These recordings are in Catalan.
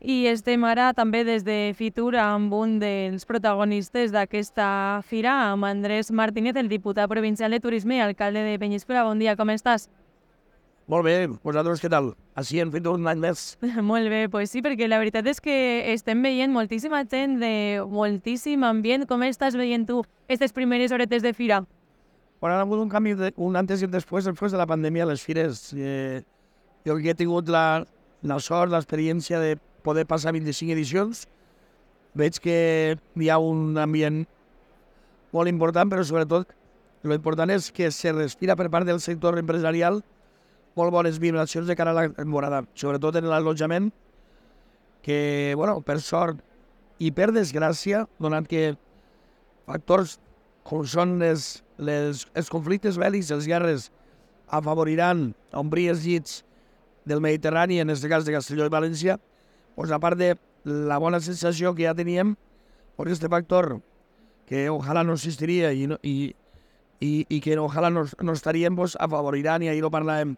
I estem ara també des de Fitur amb un dels protagonistes d'aquesta fira, amb Andrés Martínez, el diputat provincial de Turisme i alcalde de Penyíscola. Bon dia, com estàs? Molt bé, vosaltres què tal? Així hem fet un any més. Molt bé, doncs sí, perquè la veritat és que estem veient moltíssima gent de moltíssim ambient. Com estàs veient tu aquestes primeres horetes de fira? Quan ha hagut un canvi, un antes i un després de la pandèmia a les fires. Jo que he tingut la sort, l'experiència de poder passar 25 edicions, veig que hi ha un ambient molt important, però sobretot l'important és que se respira per part del sector empresarial molt bones vibracions de cara a la temporada, sobretot en l'allotjament, que, bueno, per sort i per desgràcia, donat que factors com són els conflictes bèl·lics, les guerres, afavoriran omplir els llits del Mediterrani, en aquest cas de Castelló i València, doncs a part de la bona sensació que ja teníem, doncs aquest factor que ojalà no existiria i que ojalà no estaríem, doncs afavoriran, i ahir ho parlàvem,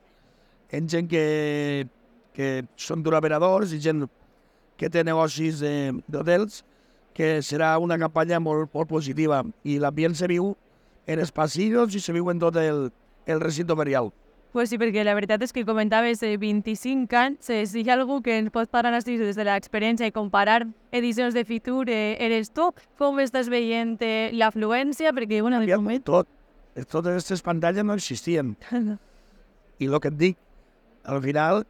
en gent que són turoperadors i gent que té negocis d'hotels, que serà una campanya molt positiva. I l'ambient se viu en els passillos i se viu en tot el recinte ferial. Pues sí, perquè la veritat és que comentaves 25 anys, si hi ha algú que ens pot parlar així des de l'experiència i comparar edicions de Fitur, eres tu. Com estàs veient l'afluència? Perquè, bueno, de moment... Tot. Totes aquestes pantalles no existien. I el que et dic, al final,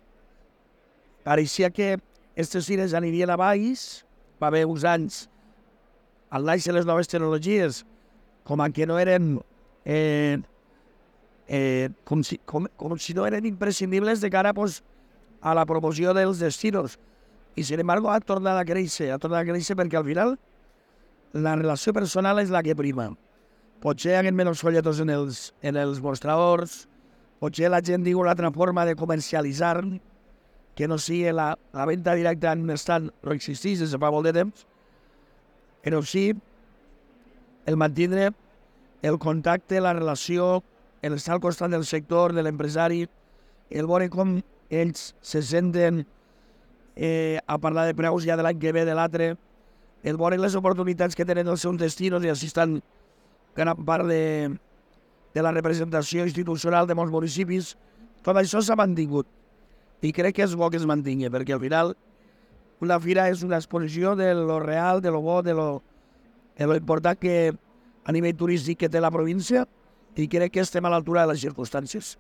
pareixia que aquestes fires anirien a baix, va haver uns anys, al naix de les noves tecnologies, com que no eren... com si no eren imprescindibles de cara pues, a la promoció dels destinos. I, sin embargo, ha tornat a créixer perquè al final la relació personal és la que prima. Potser hi ha menys folletos en els mostradors, potser la gent diu una altra forma de comercialitzar, que no sigui la venda directa en un estant, no existeix des de fa molt de temps, però sí el mantindre el contacte, la relació, el estar al costat del sector, de l'empresari, el veure com ells se senten a parlar de preus ja de l'any que ve, de l'altre, el veure les oportunitats que tenen els seus destinos, i així estan gran part de la representació institucional de molts municipis. Tot això s'ha mantingut i crec que és bo que es mantingui, perquè al final una fira és una exposició de lo real, de lo bo, de lo important que a nivell turístic que té la província, i crec que estem a l'altura de les circumstàncies.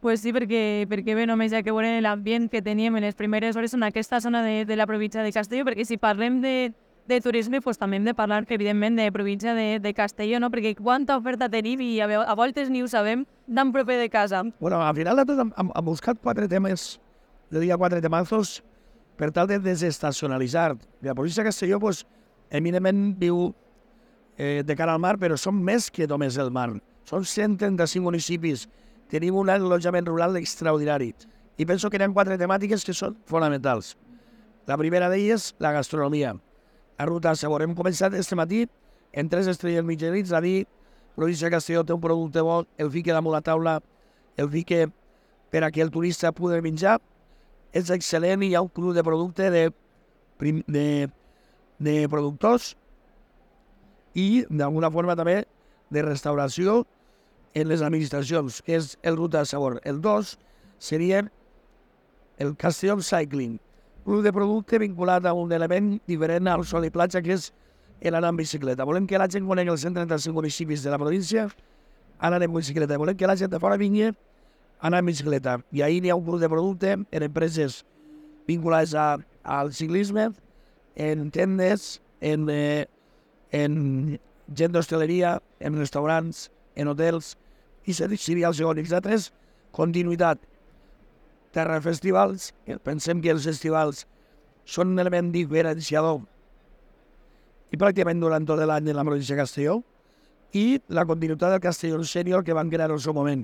Pues sí, perquè bé, només hi ha que veure l'ambient que teníem en les primeres hores en aquesta zona de la província de Castelló, perquè si parlem de turisme, pues també hem de parlar, evidentment, de província de Castelló, no? Perquè quanta oferta tenim i a voltes ni ho sabem tan proper de casa. Bueno, al final hem buscat 4 temes, jo diria 4 temazos, per tal de desestacionalitzar. La província de Castelló, pues, eminentment viu de cara al mar, però són més que només el mar. Són 135 municipis, tenim un allotjament rural extraordinari. I penso que hi ha 4 temàtiques que són fonamentals. La primera d'elles, la gastronomia. La ruta següent. Hem començat este matí en 3 estrelles Michelin, a dir, la província de Castelló té un producte bo, el fique damunt la taula, el fique per a que el turista pugui menjar, és excel·lent, i hi ha un club de producte de productors i, d'alguna forma, també de restauració en les administracions, que és el Ruta de Sabor. El 2 seria el Castelló Cycling, club de producte vinculat a un element diferent al sol i platja, que és l'anar en bicicleta. Volem que la gent conegui els 135 municipis de la província anant en bicicleta. Volem que la gent de fora vingui anar en bicicleta. I ahir hi ha un club de producte en empreses vinculades al ciclisme, en tendes, en gent d'hostaleria, en restaurants, en hotels, i seria el segon. I el 3, continuïtat. Terra de festivals, pensem que els festivals són un element diferenciador i pràcticament durant tot l'any de la província de Castelló, i la continuïtat del Castelló Senior que van crear en el seu moment,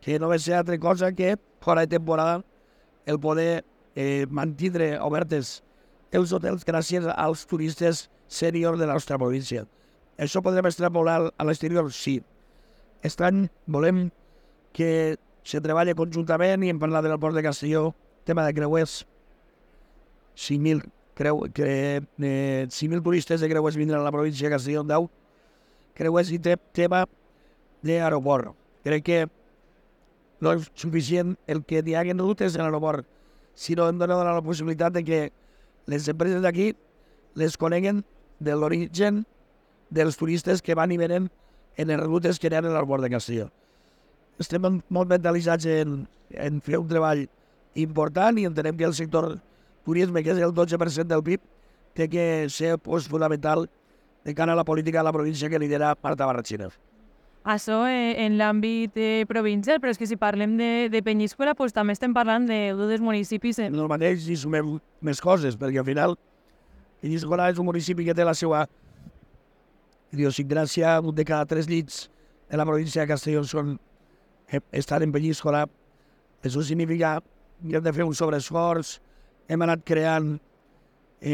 que no va ser altra cosa que, fora de temporada, el poder mantindre obertes els hotels gràcies als turistes sènior de la nostra província. Això podrem extrapolar a l'exterior? Sí. Aquest any volem que se treballa conjuntament, i hem parlat del port de Castelló, tema de creuers, 5.000 5.000 turistes de creuers vindran a la província de Castelló en 10 creuers i tema d'aeroport. Crec que no és suficient el que hi hagin rutes en l'aeroport, sinó hem de donar la possibilitat de que les empreses d'aquí les coneguen de l'origen dels turistes que van i venen en les rutes que hi ha a l'aeroport de Castelló. Estem molt mentalitzats en fer un treball important i entenem que el sector turisme, que és el 12% del PIB, té que ser fonamental de cara a la política de la província que lidera Marta Barratxina. Això en l'àmbit provincial, però és que si parlem de Penyíscola, doncs també estem parlant de dos municipis. En el mateix hi sumem més coses, perquè al final Penyíscola és un municipi que té la seva idiosincràsia. Un de cada 3 llits de la província de Castelló estan en Penyíscola. Això significa que hem de fer un sobreesforç. Hem anat creant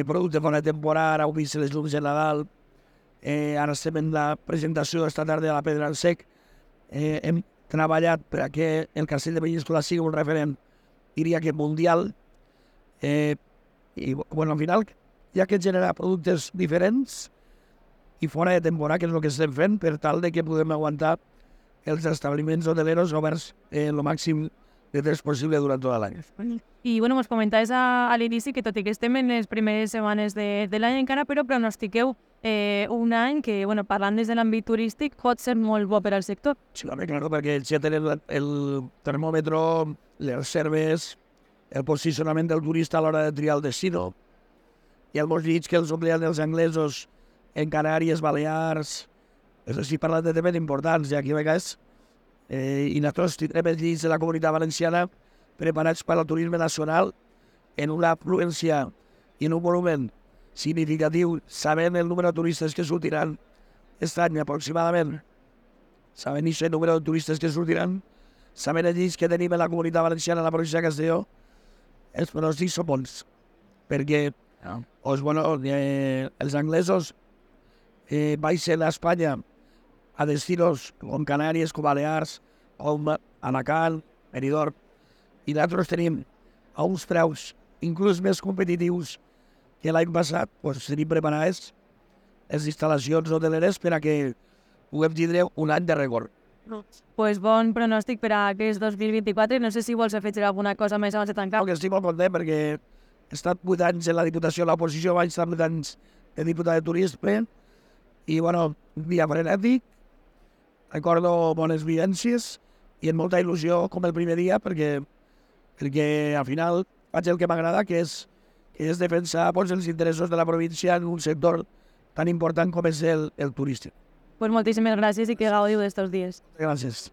producte fora de temporada, ara heu vist les llums de Nadal, ara estem en la presentació esta tarda de la Pedra al Sec. Hem treballat perquè el castell de Penyíscola sigui un referent, diria que mundial, i bueno, al final hi ha que generar productes diferents i fora de temporada, que és el que estem fent, per tal de que podem aguantar els establiments hoteleros oberts el màxim de temps possible durant tot l'any. I bueno, ens comentaves a l'inici que tot i que estem en les primeres setmanes de l'any encara, però pronostiqueu un any que, bueno, parlant des de l'àmbit turístic, pot ser molt bo per al sector. Sí, home, claro, perquè ja tenen el termòmetre, les serves, el posicionament del turista a l'hora de triar el destino. Hi ha molts llits que els omplien els anglesos en Canàries, Balears. És a dir, parlant de temes importants, i aquí a vegades i nosaltres tindrem els llits de la Comunitat Valenciana preparats per al turisme nacional en una afluència i en un volumen significatiu, sabent el número de turistes que sortiran aquest any aproximadament, sabent aquest número de turistes que sortiran, sabent els llits que tenim en la Comunitat Valenciana a la província de Castelló, els pronòstics són bons, perquè els anglesos baixen a Espanya a destinos com Canàries, com Balears, com Alacant, Benidorm, i nosaltres tenim a uns preus inclús més competitius que l'any passat. Tenim preparades les instal·lacions hoteleres per a que puguem tindre un any de rècord. Pues bon pronòstic per a aquest 2024. No sé si vols afegir alguna cosa més abans de tancar. Estic molt content perquè he estat 8 anys en la Diputació de l'Oposició, vaig estar 8 anys de diputat de turisme i, un dia frenètic, recordo bones vivències i amb molta il·lusió com el primer dia perquè al final faig el que m'agrada, que és defensar els interessos de la província en un sector tan important com és el turístic. Pues moltíssimes gràcies i que gaudiu d'estos dies. Gràcies.